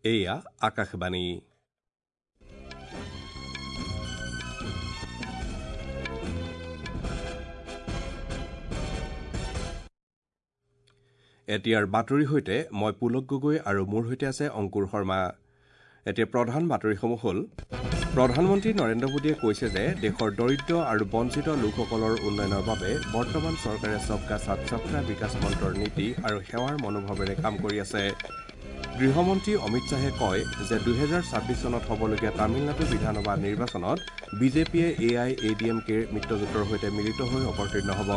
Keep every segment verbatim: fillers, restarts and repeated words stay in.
এয়া আকাশবাণী। এতিয়াৰ বাতৰিৰ সৈতে মই পুলক গগৈ আৰু মোৰ সৈতে আছে অংকুৰ শৰ্মা। এতিয়া প্ৰধান বাতৰিসমূহ হ'ল: প্ৰধানমন্ত্ৰী নৰেন্দ্ৰ মোদীয়ে কৈছে যে দেশৰ দৰিদ্ৰ আৰু বঞ্চিত লোকসকলৰ উন্নয়নৰ বাবে বৰ্তমান চৰকাৰে সবকা সাথ সবকা বিকাশ মন্ত্ৰৰ নীতি আৰু সেৱাৰ মনোভাৱেৰে কাম কৰি আছে। গৃহমন্ত্ৰী অমিত শ্বাহে কয় যে দুহেজাৰ ছাব্বিছ চনত হ'বলগীয়া তামিলনাডু বিধানসভা নিৰ্বাচনত বিজেপিয়ে A I A D M কেৰ মিত্ৰজোঁটৰ সৈতে মিলিত হৈ অৱতীৰ্ণ হ'ব।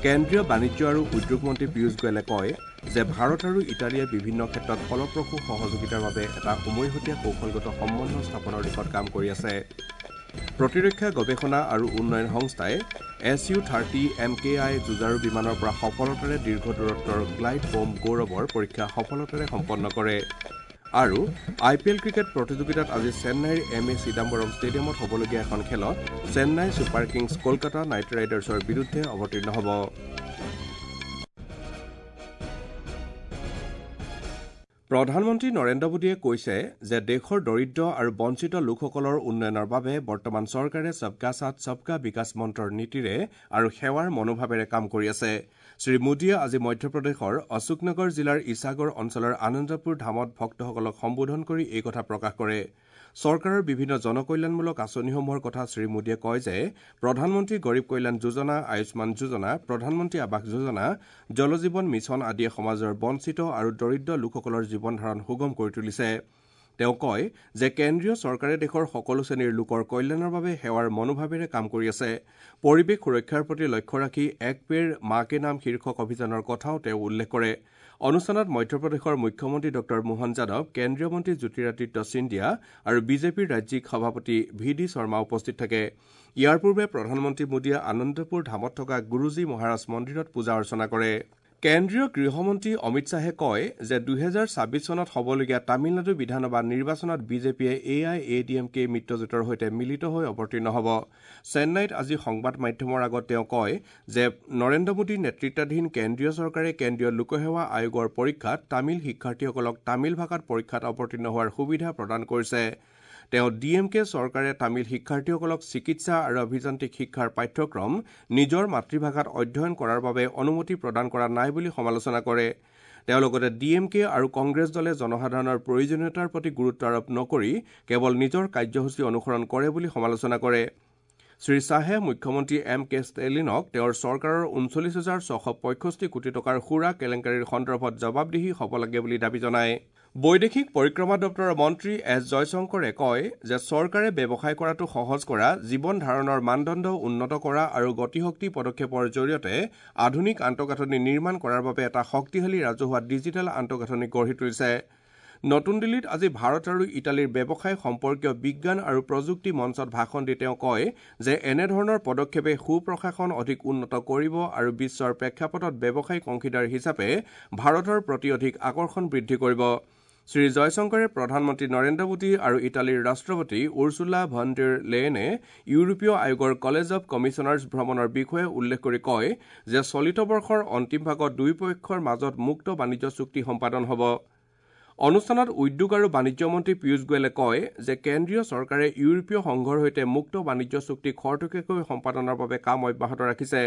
কেন্দ্ৰীয় বাণিজ্য আৰু উদ্যোগ মন্ত্ৰী পীয়ুষ গোৱেলে কয় যে ভাৰত আৰু ইটালীয়ে বিভিন্ন ক্ষেত্ৰত ফলপ্ৰসূ সহযোগিতাৰ বাবে এটা উমৈহতীয়া কৌশলগত সম্বন্ধ স্থাপনৰ দিশত কাম কৰি আছে। প্ৰতিৰক্ষা গৱেষণা আৰু উন্নয়ন সংস্থাই S U thirty M K I যুঁজাৰু বিমানৰ পৰা সফলতাৰে দীৰ্ঘ দূৰত্বৰ গ্লাইড বম গৌৰৱৰ পৰীক্ষা সফলতাৰে সম্পন্ন কৰে। আৰু আই পি এল ক্ৰিকেট প্ৰতিযোগিতাত আজি চেন্নাইৰ এম এ চিদাম্বৰম ষ্টেডিয়ামত হ'বলগীয়া এখন খেলত Chennai super kings Kolkata knight ৰাইডাৰ্ছৰ বিৰুদ্ধে অৱতীৰ্ণ হ'ব। প্ৰধানমন্ত্ৰী নৰেন্দ্ৰ মোদীয়ে কৈছে যে দেশৰ দৰিদ্ৰ আৰু বঞ্চিত লোকসকলৰ উন্নয়নৰ বাবে বৰ্তমান চৰকাৰে সবকা সাথ সবকা বিকাশ মন্ত্ৰৰ নীতিৰে আৰু সেৱাৰ মনোভাৱেৰে কাম কৰি আছে। শ্ৰী মোদীয়ে আজি মধ্যপ্ৰদেশৰ অশোকনগৰ জিলাৰ ইছাগড় অঞ্চলৰ আনন্দপুৰ ধামত ভক্তসকলক সম্বোধন কৰি এই কথা প্ৰকাশ কৰে। চৰকাৰৰ বিভিন্ন জনকল্যাণমূলক আঁচনিসমূহৰ কথা শ্ৰী মোদীয়ে কয় যে প্ৰধানমন্ত্ৰী গৰীব কল্যাণ যোজনা, আয়ুষ্মান যোজনা, প্ৰধানমন্ত্ৰী আৱাস যোজনা, জল জীৱন মিছন আদিয়ে সমাজৰ বঞ্চিত আৰু দৰিদ্ৰ লোকসকলৰ জীৱন ধাৰণ সুগম কৰি তুলিছে। তেওঁ কয় যে কেন্দ্ৰীয় চৰকাৰে দেশৰ সকলো শ্ৰেণীৰ লোকৰ কল্যাণৰ বাবে সেৱাৰ মনোভাৱেৰে কাম কৰি আছে। পৰিৱেশ সুৰক্ষাৰ প্ৰতি লক্ষ্য ৰাখি এক পেৰ মা কে নাম শীৰ্ষক অভিযানৰ কথাও তেওঁ উল্লেখ কৰে। অনুষ্ঠানত মধ্যপ্ৰদেশৰ মুখ্যমন্ত্ৰী ডঃ মোহন যাদৱ, কেন্দ্ৰীয় মন্ত্ৰী জ্যোতিৰাদিত্য সিন্ধিয়া আৰু বিজেপিৰ ৰাজ্যিক সভাপতি ভি ডি শৰ্মা উপস্থিত থাকে। ইয়াৰ পূৰ্বে প্ৰধানমন্ত্ৰী মোদীয়ে আনন্দপুৰ ধামত থকা গুৰুজী মহাৰাজ মন্দিৰত পূজা অৰ্চনা কৰে। কেন্দ্ৰীয় গৃহমন্ত্ৰী অমিত শ্বাহে কয় যে দুহেজাৰ ছাব্বিছ চনত হ'বলগীয়া তামিলনাডু বিধানসভা নিৰ্বাচনত বিজেপিয়ে A I A D M K মিত্ৰজোঁটৰ সৈতে মিলিত হৈ অৱতীৰ্ণ হ'ব। চেন্নাইত আজি সংবাদ মাধ্যমৰ আগত তেওঁ কয় যে নৰেন্দ্ৰ মোদী নেতৃত্বাধীন কেন্দ্ৰীয় চৰকাৰে কেন্দ্ৰীয় লোকসেৱা আয়োগৰ পৰীক্ষাত তামিল শিক্ষাৰ্থীসকলক তামিল ভাষাত পৰীক্ষাত অৱতীৰ্ণ হোৱাৰ সুবিধা প্ৰদান কৰিছে। তেওঁ ডি এম কে চৰকাৰে তামিল শিক্ষাৰ্থীসকলক চিকিৎসা আৰু অভিযান্ত্ৰিক শিক্ষাৰ পাঠ্যক্ৰম নিজৰ মাতৃভাষাত অধ্যয়ন কৰাৰ বাবে অনুমতি প্ৰদান কৰা নাই বুলি সমালোচনা কৰে। তেওঁ লগতে ডি এম কে আৰু কংগ্ৰেছ দলে জনসাধাৰণৰ প্ৰয়োজনীয়তাৰ প্ৰতি গুৰুত্ব আৰোপ নকৰি কেৱল নিজৰ কাৰ্যসূচী অনুসৰণ কৰে বুলি সমালোচনা কৰে। শ্ৰী শ্বাহে মুখ্যমন্ত্ৰী এম কে ষ্টেলিনক তেওঁৰ চৰকাৰৰ ঊনচল্লিছ হাজাৰ ছশ পঁয়ষষ্ঠি কোটি টকাৰ সুৰা কেলেংকাৰীৰ সন্দৰ্ভত জবাবদিহি হ'ব লাগে বুলি দাবী জনায়। বৈদেশিক পৰিক্ৰমা দপ্তৰৰ মন্ত্ৰী এছ জয়শংকৰে কয় যে চৰকাৰে ব্যৱসায় কৰাটো সহজ কৰা, জীৱন ধাৰণৰ মানদণ্ড উন্নত কৰা আৰু গতিশক্তি পদক্ষেপৰ জৰিয়তে আধুনিক আন্তঃগাঁথনি নিৰ্মাণ কৰাৰ বাবে এটা শক্তিশালী ৰাজহুৱা ডিজিটেল আন্তঃগাঁথনি গঢ়ি তুলিছে। নতুন দিল্লীত আজি ভাৰত আৰু ইটালীৰ ব্যৱসায় সম্পৰ্কীয় বিজ্ঞান আৰু প্ৰযুক্তি মঞ্চত ভাষণ দি তেওঁ কয় যে এনেধৰণৰ পদক্ষেপে সুপ্ৰশাসন অধিক উন্নত কৰিব আৰু বিশ্বৰ প্ৰেক্ষাপটত ব্যৱসায়িক অংশীদাৰ হিচাপে ভাৰতৰ প্ৰতি অধিক আকৰ্ষণ বৃদ্ধি কৰিব। শ্ৰী জয়শংকৰে প্ৰধানমন্ত্ৰী নৰেন্দ্ৰ মোদী আৰু ইটালীৰ ৰাষ্ট্ৰপতি উৰ্চুলা ভন ডেৰ লেয়েনে ইউৰোপীয় আয়োগৰ কলেজ অৱ কমিছনাৰ্ছ ভ্ৰমণৰ বিষয়ে উল্লেখ কৰি কয় যে চলিত বৰ্ষৰ অন্তিম ভাগত দুয়োপক্ষৰ মাজত মুক্ত বাণিজ্য চুক্তি সম্পাদন হ'ব। অনুষ্ঠানত উদ্যোগ আৰু বাণিজ্য মন্ত্ৰী পীয়ুষ গোৱেলে কয় যে কেন্দ্ৰীয় চৰকাৰে ইউৰোপীয় সংঘৰ সৈতে মুক্ত বাণিজ্য চুক্তি খৰতকীয়াকৈ সম্পাদনৰ বাবে কাম অব্যাহত ৰাখিছে।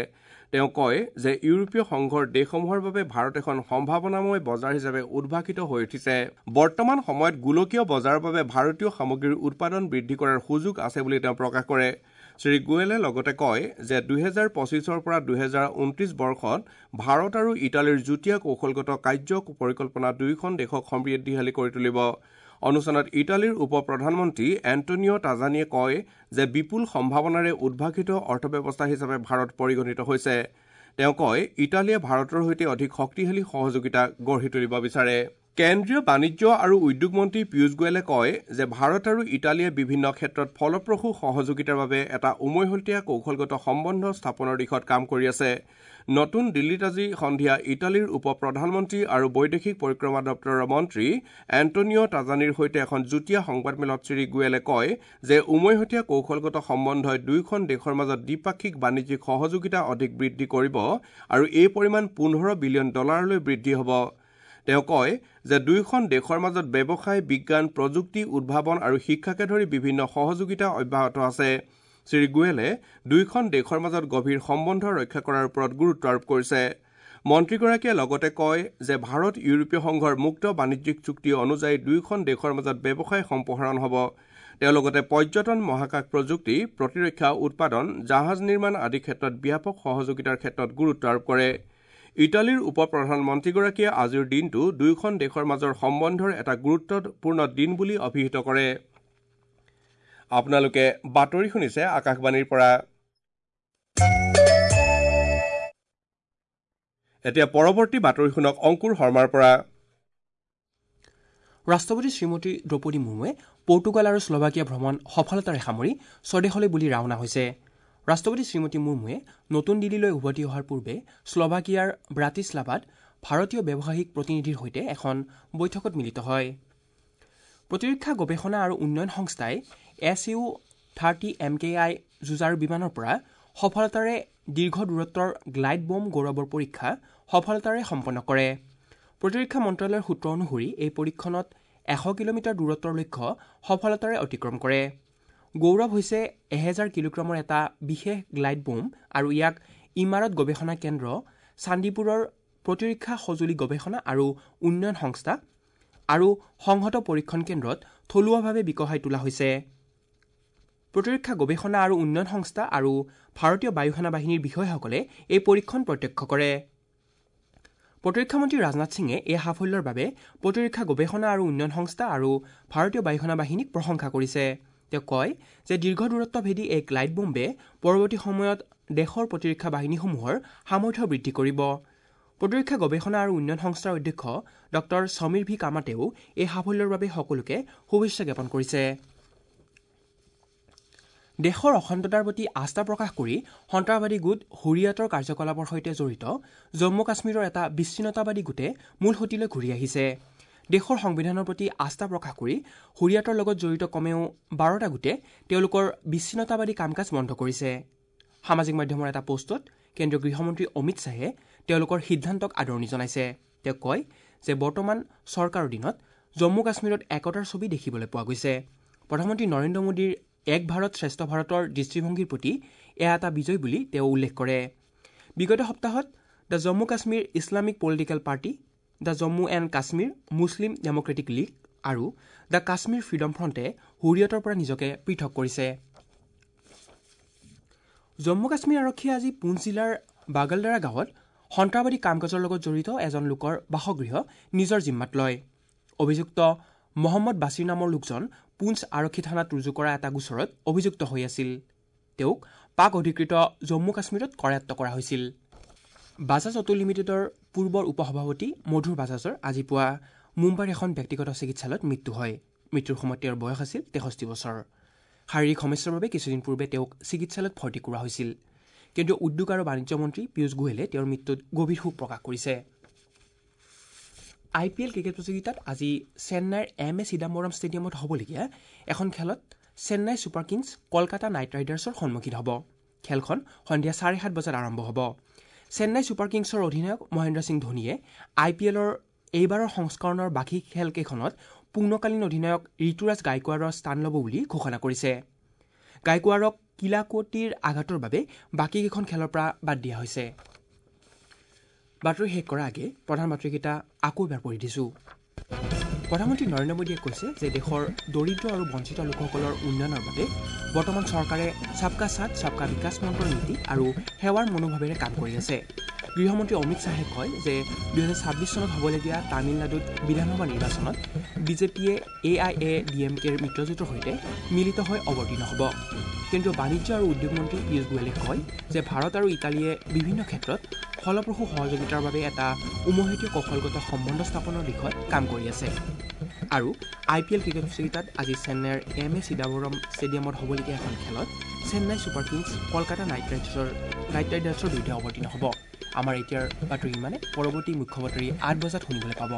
তেওঁ কয় যে ইউৰোপীয় সংঘৰ দেশসমূহৰ বাবে ভাৰত এখন সম্ভাৱনাময় বজাৰ হিচাপে উদ্ভাসিত হৈ উঠিছে। বৰ্তমান সময়ত গোলকীয় বজাৰৰ বাবে ভাৰতীয় সামগ্ৰীৰ উৎপাদন বৃদ্ধি কৰাৰ সুযোগ আছে বুলি তেওঁ প্ৰকাশ কৰে। শ্ৰী গোৱেলে লগতে কয় যে দুহেজাৰ পঁচিছৰ পৰা দুহেজাৰ ঊনত্ৰিছ বৰ্ষত ভাৰত আৰু ইটালীৰ যুটীয়া কৌশলগত কাৰ্য পৰিকল্পনা দুয়োখন দেশক সমৃদ্ধিশালী কৰি তুলিব। অনুষ্ঠানত ইটালীৰ উপ প্ৰধানমন্ত্ৰী এণ্টনিঅ' তাজানিয়ে কয় যে বিপুল সম্ভাৱনাৰে উদ্ভাসিত অৰ্থব্যৱস্থা হিচাপে ভাৰত পৰিগণিত হৈছে। তেওঁ কয় ইটালীয়ে ভাৰতৰ সৈতে অধিক শক্তিশালী সহযোগিতা গঢ়ি তুলিব বিচাৰে। কেন্দ্ৰীয় বাণিজ্য আৰু উদ্যোগ মন্ত্ৰী পীয়ুষ গোৱেলে কয় যে ভাৰত আৰু ইটালীয়ে বিভিন্ন ক্ষেত্ৰত ফলপ্ৰসূ সহযোগিতাৰ বাবে এটা উমৈহতীয়া কৌশলগত সম্বন্ধ স্থাপনৰ দিশত কাম কৰি আছে। নতুন দিল্লীত আজি সন্ধিয়া ইটালীৰ উপ প্ৰধানমন্ত্ৰী আৰু বৈদেশিক পৰিক্ৰমা দপ্তৰৰ মন্ত্ৰী এণ্টনিঅ' তাজানিৰ সৈতে এখন যুটীয়া সংবাদমেলত শ্ৰী গোৱেলে কয় যে উমৈহতীয়া কৌশলগত সম্বন্ধই দুয়োখন দেশৰ মাজত দ্বিপাক্ষিক বাণিজ্যিক সহযোগিতা অধিক বৃদ্ধি কৰিব আৰু এই পৰিমাণ পোন্ধৰ বিলিয়ন ডলাৰলৈ বৃদ্ধি হ'ব। তেওঁ কয় যে দুয়োখন দেশৰ মাজত ব্যৱসায়, বিজ্ঞান, প্ৰযুক্তি, উদ্ভাৱন আৰু শিক্ষাকে ধৰি বিভিন্ন সহযোগিতা অব্যাহত আছে। শ্ৰী গোৱেলে দুয়োখন দেশৰ মাজত গভীৰ সম্বন্ধ ৰক্ষা কৰাৰ ওপৰত গুৰুত্ব আৰোপ কৰিছে। মন্ত্ৰীগৰাকীয়ে লগতে কয় যে ভাৰত ইউৰোপীয় সংঘৰ মুক্ত বাণিজ্যিক চুক্তি অনুযায়ী দুয়োখন দেশৰ মাজত ব্যৱসায় সম্প্ৰসাৰণ হ'ব। তেওঁ লগতে পৰ্যটন, মহাকাশ প্ৰযুক্তি, প্ৰতিৰক্ষা উৎপাদন, জাহাজ নিৰ্মাণ আদি ক্ষেত্ৰত ব্যাপক সহযোগিতাৰ ক্ষেত্ৰত গুৰুত্ব আৰোপ কৰে। ইটালীৰ উপ প্ৰধানমন্ত্ৰীগৰাকীয়ে আজিৰ দিনটো দুয়োখন দেশৰ মাজৰ সম্বন্ধৰ এটা গুৰুত্বপূৰ্ণ দিন বুলি অভিহিত কৰে। আপোনালোকে বাতৰি শুনিছে আকাশবাণীৰ পৰা। এতিয়া পৰৱৰ্তী বাতৰি শুনক অংকুৰ শৰ্মাৰ পৰা। ৰাষ্ট্ৰপতি শ্ৰীমতী দ্ৰৌপদী মুৰ্মুৱে পৰ্তুগাল আৰু শ্লোভাকিয়া ভ্ৰমণ সফলতাৰে সামৰি স্বদেশলৈ বুলি ৰাওনা হৈছে। ৰাষ্ট্ৰপতি শ্ৰীমতী মুৰ্মুৱে নতুন দিল্লীলৈ উভতি অহাৰ পূৰ্বে শ্লোভাকিয়াৰ ব্ৰাটিছলাভাত ভাৰতীয় ব্যৱসায়িক প্ৰতিনিধিৰ সৈতে এখন বৈঠকত মিলিত হয়। প্ৰতিৰক্ষা গৱেষণা আৰু উন্নয়ন সংস্থাই S U thirty M K I যুঁজাৰু বিমানৰ পৰা সফলতাৰে দীৰ্ঘ দূৰত্বৰ গ্লাইড বম গৌৰৱৰ পৰীক্ষা সফলতাৰে সম্পন্ন কৰে। প্ৰতিৰক্ষা মন্ত্ৰালয়ৰ সূত্ৰ অনুসৰি এই পৰীক্ষণত এশ কিলোমিটাৰ দূৰত্বৰ লক্ষ্য সফলতাৰে অতিক্ৰম কৰে। গৌৰৱ হৈছে এহেজাৰ কিলোগ্ৰামৰ এটা বিশেষ গ্লাইড বোম আৰু ইয়াক ইমাৰত গৱেষণা কেন্দ্ৰ চান্দিপুৰৰ প্ৰতিৰক্ষা সঁজুলি গৱেষণা আৰু উন্নয়ন সংস্থা আৰু সংহত পৰীক্ষণ কেন্দ্ৰত থলুৱাভাৱে বিকশাই তোলা হৈছে। প্ৰতিৰক্ষা গৱেষণা আৰু উন্নয়ন সংস্থা আৰু ভাৰতীয় বায়ুসেনা বাহিনীৰ বিষয়াসকলে এই পৰীক্ষণ প্ৰত্যক্ষ কৰে। প্ৰতিৰক্ষা মন্ত্ৰী ৰাজনাথ সিঙে এই সাফল্যৰ বাবে প্ৰতিৰক্ষা গৱেষণা আৰু উন্নয়ন সংস্থা আৰু ভাৰতীয় বায়ুসেনা বাহিনীক প্ৰশংসা কৰিছে। তেওঁ কয় যে দীৰ্ঘ দূৰত্ব ভেদি এই গ্লাইড বোম্বে পৰৱৰ্তী সময়ত দেশৰ প্ৰতিৰক্ষা বাহিনীসমূহৰ সামৰ্থ্য বৃদ্ধি কৰিব। প্ৰতিৰক্ষা গৱেষণা আৰু উন্নয়ন সংস্থাৰ অধ্যক্ষ ডক্টৰ সমীৰ ভি কামাতেও এই সাফল্যৰ বাবে সকলোকে শুভেচ্ছা জ্ঞাপন কৰিছে। দেশৰ অখণ্ডতাৰ প্ৰতি আস্থা প্ৰকাশ কৰি সন্ত্ৰাসবাদী গোট হুৰিয়াতৰ কাৰ্যকলাপৰ সৈতে জড়িত জম্মু কাশ্মীৰৰ এটা বিচ্ছিন্নতাবাদী গোটে মূল সুঁতিলৈ ঘূৰি আহিছে। দেশৰ সংবিধানৰ প্ৰতি আস্থা প্ৰকাশ কৰি হুৰিয়াতৰ লগত জড়িত কমেও বাৰটা গোটে তেওঁলোকৰ বিচ্ছিন্নতাবাদী কাম কাজ বন্ধ কৰিছে। সামাজিক মাধ্যমৰ এটা পোষ্টত কেন্দ্ৰীয় গৃহমন্ত্ৰী অমিত শ্বাহে তেওঁলোকৰ সিদ্ধান্তক আদৰণি জনাইছে। তেওঁ কয় যে বৰ্তমান চৰকাৰৰ দিনত জম্মু কাশ্মীৰত একতাৰ ছবি দেখিবলৈ পোৱা গৈছে। প্ৰধানমন্ত্ৰী নৰেন্দ্ৰ মোদীৰ এক ভাৰত শ্ৰেষ্ঠ ভাৰতৰ দৃষ্টিভংগীৰ প্ৰতি এয়া এটা বিজয় বুলি তেওঁ উল্লেখ কৰে। বিগত সপ্তাহত the Jammu Kashmir Islamic political party, the Jammu and Kashmir Muslim democratic league আৰু the Kashmir freedom ফ্ৰণ্টে হুৰিয়তৰ পৰা নিজকে পৃথক কৰিছে। জম্মু কাশ্মীৰ আৰক্ষীয়ে আজি পুঞ্চ জিলাৰ বাগলদাৰা গাঁৱত সন্ত্ৰাসবাদী কাম কাজৰ লগত জড়িত এজন লোকৰ বাসগৃহ নিজৰ জিম্মাত লয়। অভিযুক্ত মহম্মদ বাছিৰ নামৰ লোকজন পুঞ্চ আৰক্ষী থানাত ৰুজু কৰা এটা গোচৰত অভিযুক্ত হৈ আছিল। তেওঁক পাক অধিকৃত জম্মু কাশ্মীৰত কৰায়ত্ব কৰা হৈছিল। বাজাজ অটো লিমিটেডৰ পূৰ্বৰ উপসভাপতি মধুৰ বাজাজৰ আজি পুৱা মুম্বাইৰ এখন ব্যক্তিগত চিকিৎসালয়ত মৃত্যু হয়। মৃত্যুৰ সময়ত তেওঁৰ বয়স আছিল তেষষ্ঠি বছৰ। শাৰীৰিক সমস্যাৰ বাবে কিছুদিন পূৰ্বে তেওঁক চিকিৎসালয়ত ভৰ্তি কৰোৱা হৈছিল। কেন্দ্ৰীয় উদ্যোগ আৰু বাণিজ্য মন্ত্ৰী পীয়ুষ গোৱেলে তেওঁৰ মৃত্যুত গভীৰ শোক প্ৰকাশ কৰিছে। আই পি এল ক্ৰিকেট প্ৰতিযোগিতাত আজি চেন্নাইৰ এম এ চিদাম্বৰম ষ্টেডিয়ামত হ'বলগীয়া এখন খেলত Chennai super kings Kolkata knight ৰাইডাৰ্ছৰ সন্মুখীন হ'ব। খেলখন সন্ধিয়া চাৰে সাত বজাত আৰম্ভ হ'ব। চেন্নাই ছুপাৰ কিংছৰ অধিনায়ক মহেন্দ্ৰ সিং ধোনীয়ে আই পি এলৰ এইবাৰৰ সংস্কৰণৰ বাকী খেলকেইখনত পূৰ্ণকালীন অধিনায়ক ঋতুৰাজ গাইকোৱাৰৰ স্থান ল'ব বুলি ঘোষণা কৰিছে। গাইকোৱাৰক কিলাকুটিৰ আঘাতৰ বাবে বাকীকেইখন খেলৰ পৰা বাদ দিয়া হৈছে। বাতৰি শেষ কৰাৰ আগে প্ৰধান বাতৰিকেইটা আকৌ এবাৰ পঢ়ি দিছোঁ। প্ৰধানমন্ত্ৰী নৰেন্দ্ৰ মোদীয়ে কৈছে যে দেশৰ দৰিদ্ৰ আৰু বঞ্চিত লোকসকলৰ উন্নয়নৰ বাবে বৰ্তমান চৰকাৰে সবকা সাথ সবকা বিকাশ মন্ত্ৰৰ নীতি আৰু সেৱাৰ মনোভাৱেৰে কাম কৰি আছে। গৃহমন্ত্ৰী অমিত শ্বাহে কয় যে দুহেজাৰ ছাব্বিছ চনত হ'বলগীয়া তামিলনাডুত বিধানসভা নিৰ্বাচনত বিজেপিয়ে A I A D M কেৰ মিত্ৰজোঁটৰ সৈতে মিলিত হৈ অৱতীৰ্ণ হ'ব। কেন্দ্ৰীয় বাণিজ্য আৰু উদ্যোগ মন্ত্ৰী পীয়ুষ গোৱেলে কয় যে ভাৰত আৰু ইটালীয়ে বিভিন্ন ক্ষেত্ৰত ফলপ্ৰসূ সহযোগিতাৰ বাবে এটা উমৈহতীয়া কৌশলগত সম্বন্ধ স্থাপনৰ দিশত কাম কৰি আছে। আৰু আই পি এল ক্ৰিকেট প্ৰতিযোগিতাত আজি চেন্নাইৰ এম এ চিদাম্বৰম ষ্টেডিয়ামত হ'বলগীয়া এখন খেলত Chennai super kings Kolkata knight ৰাইডাৰ্ছৰ নাইট ৰাইডাৰ্ছৰ বিৰুদ্ধে অৱতীৰ্ণ হ'ব। আমাৰ এতিয়াৰ বাতৰি ইমানে। পৰৱৰ্তী মুখ্য বাতৰি আঠ বজাত শুনিবলৈ পাব।